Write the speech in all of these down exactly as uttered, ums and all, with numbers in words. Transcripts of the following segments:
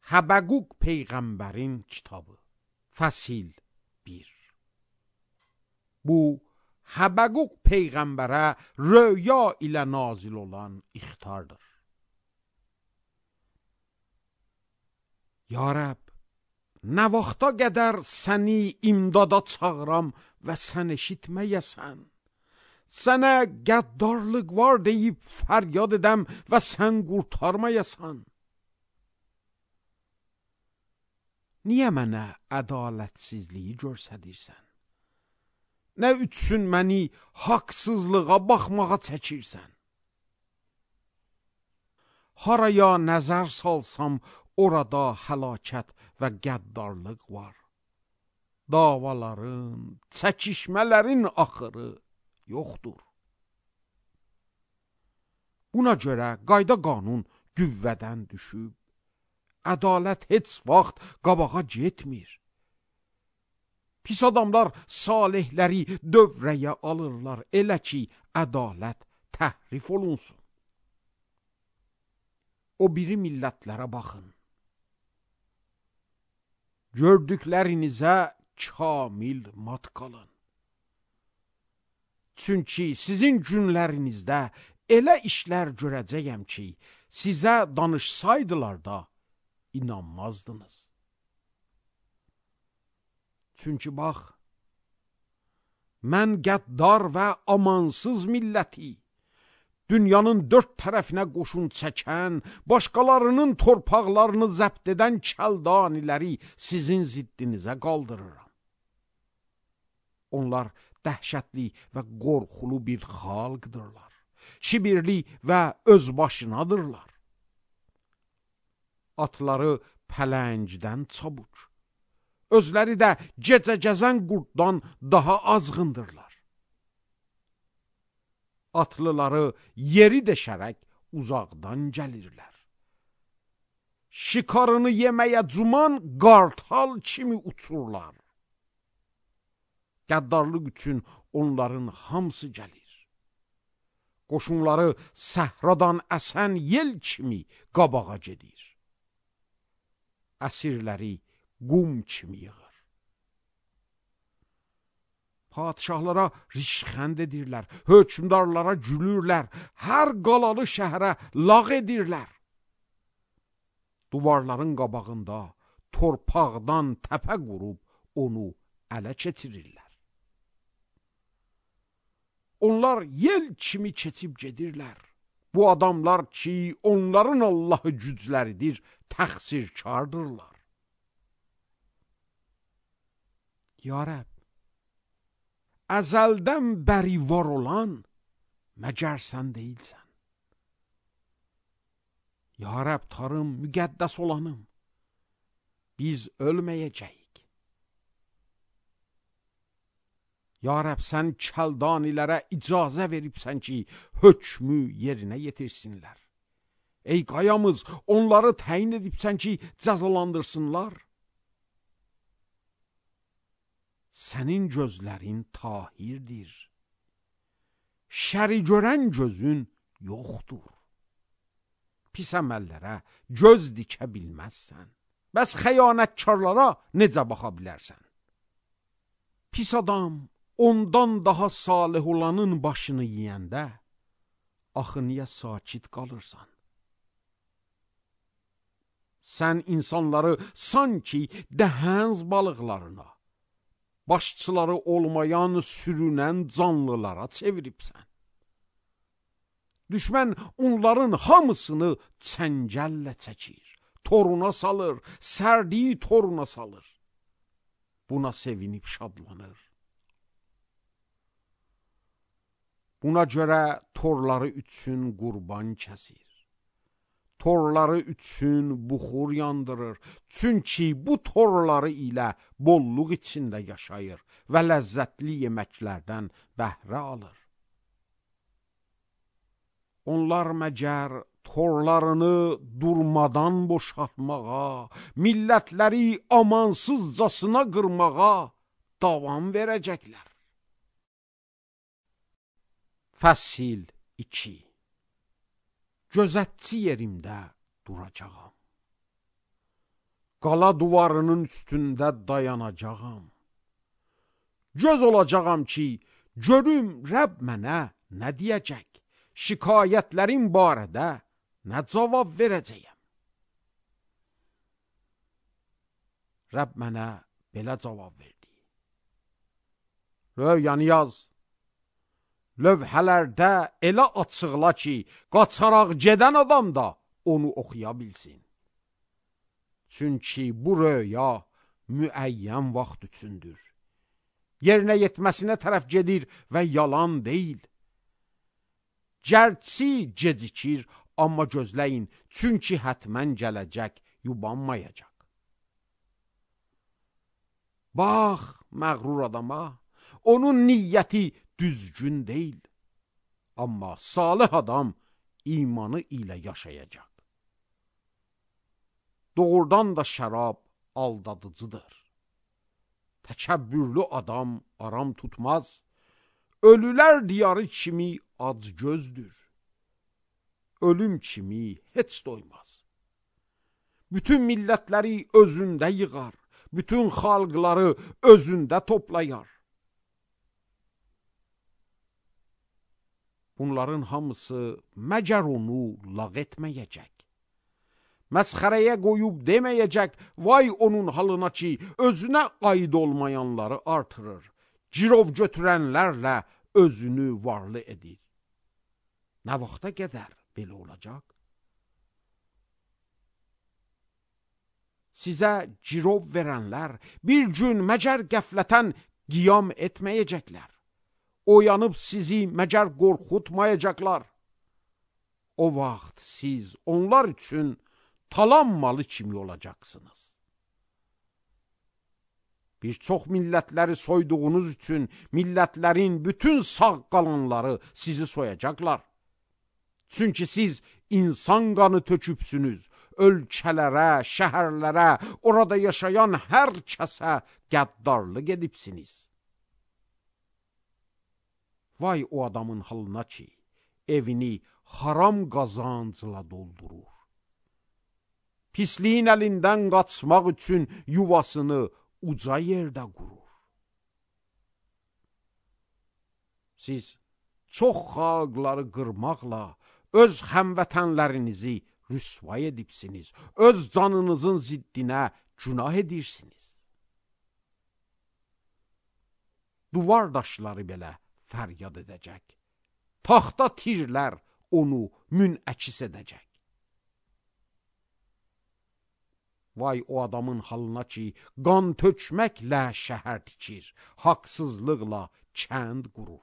Həbəquq Peyğəmbərin kitabı, fəsil bir. Bu, Həbəquq Peyğəmbərə röya ilə nazil olan ixtardır. Ya Rəbb, nə vaxta qədər səni imdada çağıram və sən eşitməyəsən. Sənə qəddarlıq var deyib fəryad edəm və sən qurtarmayasan. Niyə mənə ədalətsizliyi görsədirsən? Nə üçün məni haqsızlığa baxmağa çəkirsən? Haraya nəzər salsam, orada həlakət və qəddarlıq var. Davaların, çəkişmələrin axırı yoxdur. Buna görə qayda qanun qüvvədən düşüb, ədalət heç vaxt qabağa getmir. Pis adamlar salihləri dövrəyə alırlar, elə ki, ədalət təhrif olunsun. O biri millətlərə baxın. Gördüklərinizə kamil mat qalın. Çünki sizin günlərinizdə elə işlər görəcəyəm ki, sizə danışsaydılar da inanmazdınız. Çünki bax, mən qəddar və amansız milləti, dünyanın dörd tərəfinə qoşun çəkən, başqalarının torpaqlarını zəbt edən kəldaniləri sizin ziddinizə qaldırıram. Onlar dəhşətli və qorxulu bir xalqdırlar. Şibirli və özbaşınadırlar. Atları pələngdən çabuq, özləri də gecə gəzən qurddan daha azğındırlar. Atlıları yeri deşərək uzaqdan gəlirlər. Şikarını yeməyə cuman qartal kimi uçurlar. Qəddarlıq üçün onların hamısı gəlir. Qoşunları səhradan əsən yel kimi qabağa gedir. Əsirləri qum kimi yığır. Padişahlara rişxənd edirlər, hökmdarlara gülürlər, hər qalalı şəhərə lağ edirlər. Duvarların qabağında torpaqdan təpə qurub onu ələ keçirirlər. Onlar yel kimi keçib gedirlər. Bu adamlar ki, onların Allahı gücləridir, təqsirkardırlar. Ya Rəbb, əzəldən bəri var olan məgər sən deyilsən. Ya Rəbb, tarım, müqəddəs olanım, biz ölməyəcəyik. Ya Rəbb, sən kəldanilərə icazə veribsən ki, hökmü yerinə yetirsinlər. Ey qayamız, onları təyin edibsən ki, cəzalandırsınlar. Sənin gözlərin tahirdir. Şəri görən gözün yoxdur. Pis əməllərə göz dikə bilməzsən. Bəs xəyanətkarlara necə baxa bilərsən? Pis adam ondan daha salih olanın başını yiyəndə, axı niyə sakit qalırsan? Sən insanları sanki dəhəz balıqlarına, başçıları olmayan sürünən canlılara çeviribsən. Düşmən onların hamısını çəngəllə çəkir, toruna salır, sərdiyi toruna salır. Buna sevinib şadlanır. Buna görə torları üçün qurban kəsir. Torları üçün buxur yandırır. Çünki bu torları ilə bolluq içində yaşayır və ləzzətli yeməklərdən bəhrə alır. Onlar məgər torlarını durmadan boşaltmağa, millətləri amansızcasına qırmağa davam verəcəklər. Fəsil iki. Gözətçi yerimdə duracağam. qala duvarının üstündə dayanacağam. Göz olacağam ki, görüm Rəbb mənə nə deyəcək, şikayətlərim barədə nə cavab verəcəyəm. Rəbb mənə belə cavab verdi. Röyanı yaz. Lövhələrdə elə açıqla ki, qaçaraq gedən adam da onu oxuya bilsin. Çünki bu röya müəyyən vaxt üçündür. Yerinə yetməsinə tərəf gedir və yalan deyil. Gərçi gecikir, amma gözləyin, çünki hətmən gələcək, yubanmayacaq. Bax, məğrur adama, onun niyyəti düzgün deyil. Amma salih adam imanı ilə yaşayacaq. Doğrudan da şərab aldadıcıdır. Təkəbbürlü adam aram tutmaz. Ölülər diyarı kimi acgözdür. Ölüm kimi heç doymaz. Bütün millətləri özündə yığar. Bütün xalqları özündə toplayar. Bunların hamısı məgər onu lağ etməyəcək. Məsxərəyə qoyub deməyəcək, vay onun halına ki, özünə aid olmayanları artırır. Girov götürənlərlə özünü varlı edir. Nə vaxta qədər belə olacaq? Sizə girov verənlər bir gün məgər qəflətən qiyam etməyəcəklər. Oyanıb sizi məgər qorxutmayacaqlar. O vaxt siz onlar üçün talan malı kimi olacaqsınız. Bir çox millətləri soyduğunuz üçün millətlərin bütün sağ qalanları sizi soyacaqlar. Çünki siz insan qanı tökübsünüz, ölkələrə, şəhərlərə, orada yaşayan hər kəsə qəddarlıq edibsiniz. Vay o adamın halına ki, evini haram qazancla doldurur. Pisliyin əlindən qaçmaq üçün yuvasını uca yerdə qurur. Siz çox xalqları qırmaqla öz həmvətənlərinizi rüsvay edibsiniz. Öz canınızın ziddinə günah edirsiniz. Duvar daşları belə fəryad edəcək. Taxta tirlər onu münəkiz edəcək. Vay o adamın halına ki, qan tökməklə şəhər tikir, haqsızlıqla kənd qurur.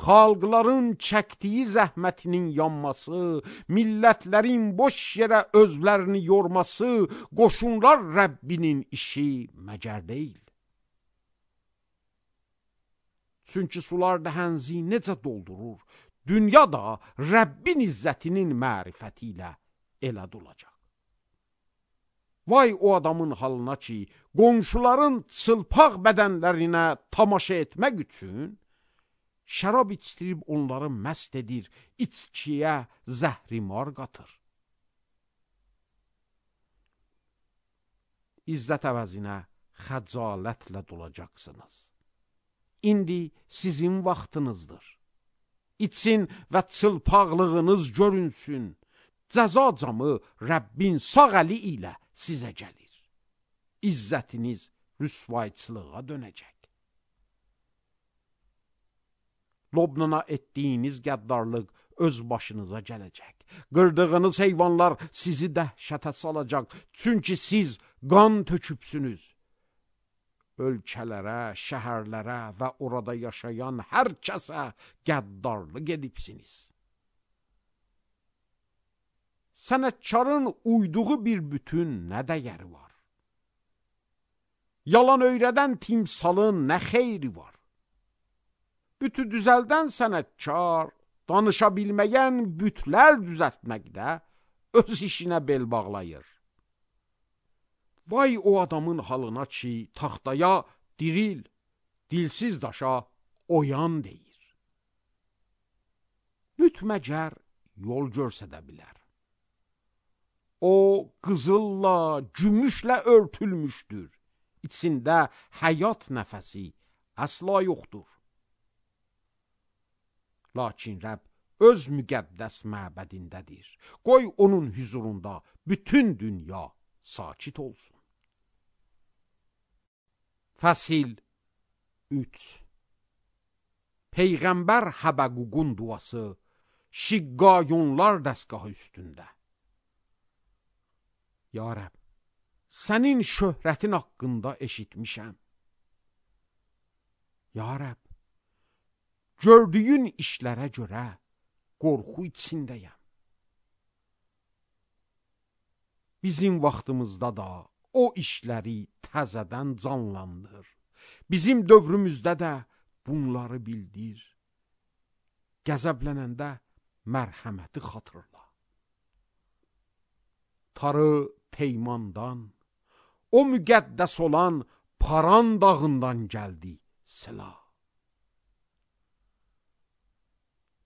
Xalqların çəkdiyi zəhmətinin yanması, millətlərin boş yerə özlərini yorması, qoşunlar Rəbbinin işi məgər deyil. Çünki sular dəhənzi necə doldurur, dünya da Rəbbin izzətinin mərifəti ilə elə dolacaq. Vay o adamın halına ki, qonşuların çılpaq bədənlərinə tamaşa etmək üçün şərab içdirib onları məst edir, içkiyə zəhrimar qatır. İzzət əvəzinə xəcalətlə dolacaqsınız. İndi sizin vaxtınızdır. İçin və çılpaqlığınız görünsün. Cəza camı Rəbbin sağ əli ilə sizə gəlir. İzzətiniz rüsvayçılığa dönəcək. Lobnana etdiyiniz qəddarlıq öz başınıza gələcək. Qırdığınız heyvanlar sizi dəhşətə salacaq. Çünki siz qan tökübsünüz. Ölkələrə, şəhərlərə və orada yaşayan hər kəsə qəddarlıq edibsiniz. Sənətkarın uyduğu bir bütün nə dəyəri var? Yalan öyrədən timsalın nə xeyri var? Bütü düzəldən sənətkar, danışa bilməyən bütlər düzəltməkdə öz işinə bel bağlayır. Vay o adamın halına ki, taxtaya diril, dilsiz daşa oyan deyir. Büt məgər yol görsədə bilər. O qızılla, gümüşlə örtülmüşdür. İçində həyat nəfəsi əsla yoxdur. Lakin Rəbb öz müqəddəs məbədindədir. Qoy onun huzurunda bütün dünya sakit olsun. Fəsil üç. Peyğəmbər Həbəququn duası Şiqqayonlar dəstgahı üstündə. Ya Rəbb, sənin şöhrətin haqqında eşitmişəm. Ya Rəbb, gördüyün işlərə görə qorxu içindəyəm. Bizim vaxtımızda da o işləri təzədən canlandır. Bizim dövrümüzdə də bunları bildir. Qəzəblənəndə mərhəməti xatırla. Tarı Teymandan, o müqəddəs olan Paran dağından gəldi silah.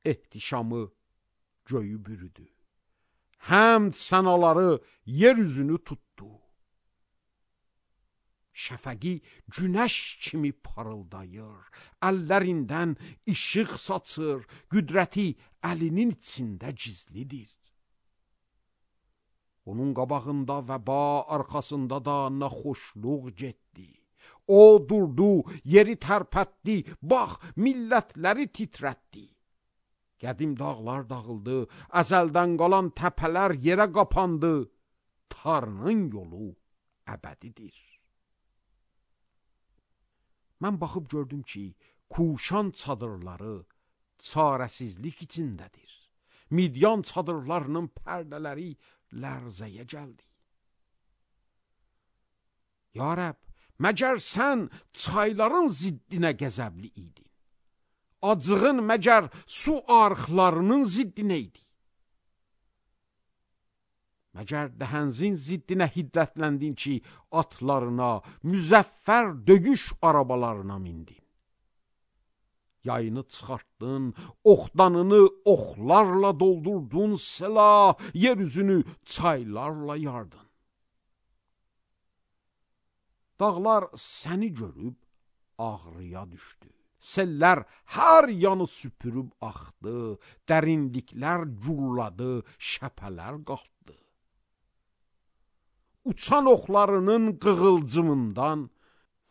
Ehtişamı göyü bürüdü. Həmd sənaları yer üzünü tutdu. Şəfəqi günəş kimi parıldayır, əllərindən işıq saçır, qüdrəti əlinin içində gizlidir. Onun qabağında və ba arxasında da naxoşluq getdi. O durdu, yeri tərpətdi, bax millətləri titrətdi. Qədim dağlar dağıldı, əzəldən qalan təpələr yerə qapandı. Tarının yolu əbədidir. Mən baxıb gördüm ki, Kuşan çadırları çarəsizlik içindədir. Midyan çadırlarının pərdələri lərzəyə gəldi. Ya Rəbb, məgər sən çayların ziddinə qəzəbli idin? Acığın məgər su arxlarının ziddinə idi? Məgər dəhənzin ziddinə hiddətləndin ki, atlarına, müzəffər döyüş arabalarına mindin. Yayını çıxartdın, oxdanını oxlarla doldurdun, silah, yer üzünü çaylarla yardın. Dağlar səni görüb ağrıya düşdü. Sellər hər yanı süpürüb axdı, dərinliklər gurladı, şəpələr qalxdı. Uçan oxlarının qığılcımından,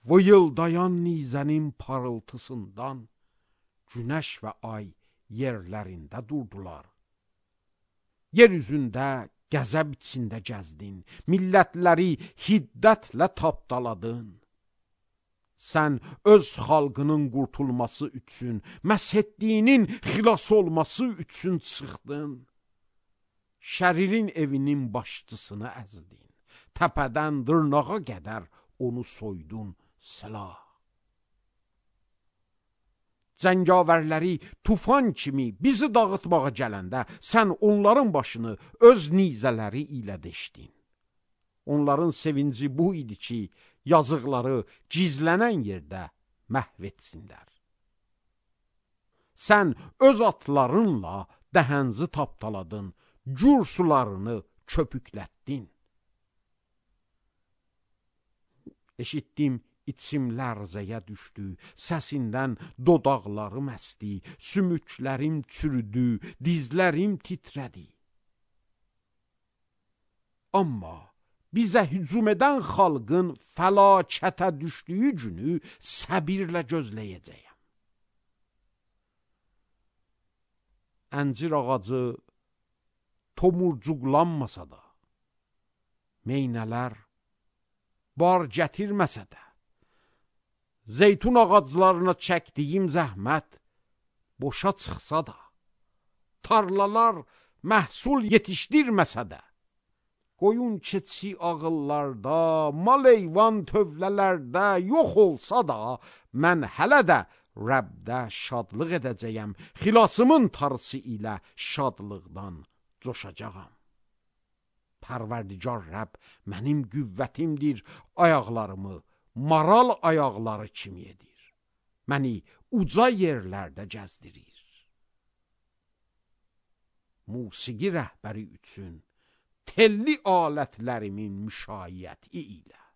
vıyıldayan nizənin parıltısından, günəş və ay yerlərində durdular. Yer üzündə qəzəb içində gəzdin, millətləri hiddətlə tapdaladın. Sən öz xalqının qurtulması üçün, məshetdiyinin xilas olması üçün çıxdın. Şəririn evinin başçısını əzdin. Təpədən dırnağa qədər onu soydun silah. Cəngavərləri tufan kimi bizi dağıtmağa gələndə sən onların başını öz nizələri ilə deşdin. Onların sevinci bu idi ki, yazıqları gizlənən yerdə məhv etsinlər. Sən öz atlarınla dəhənzi tapdaladın, cür sularını köpüklətdin. Eşitdim, içim lərzəyə düşdü, səsindən dodaqlarım əsdi, sümüklərim çürüdü, dizlərim titrədi. Amma bizə hücum edən xalqın fəlakətə düşdüyü günü səbirlə gözləyəcəyəm. Əncir ağacı tomurcuqlanmasa da, meynələr bar gətirməsə də, zeytun ağaclarına çəkdiyim zəhmət boşa çıxsa da, tarlalar məhsul yetişdirməsə də, qoyun keçi ağıllarda, mal heyvan tövlələrdə yox olsa da, mən hələ də Rəbdə şadlıq edəcəyəm, xilasımın tarısı ilə şadlıqdan coşacağam. Pərverdigar Rəbb mənim qüvvətimdir, ayaqlarımı maral ayaqları kimi edir. Məni uca yerlərdə gəzdirir. Musiqi rəhbəri üçün telli alətlərimin müşayiəti ilə.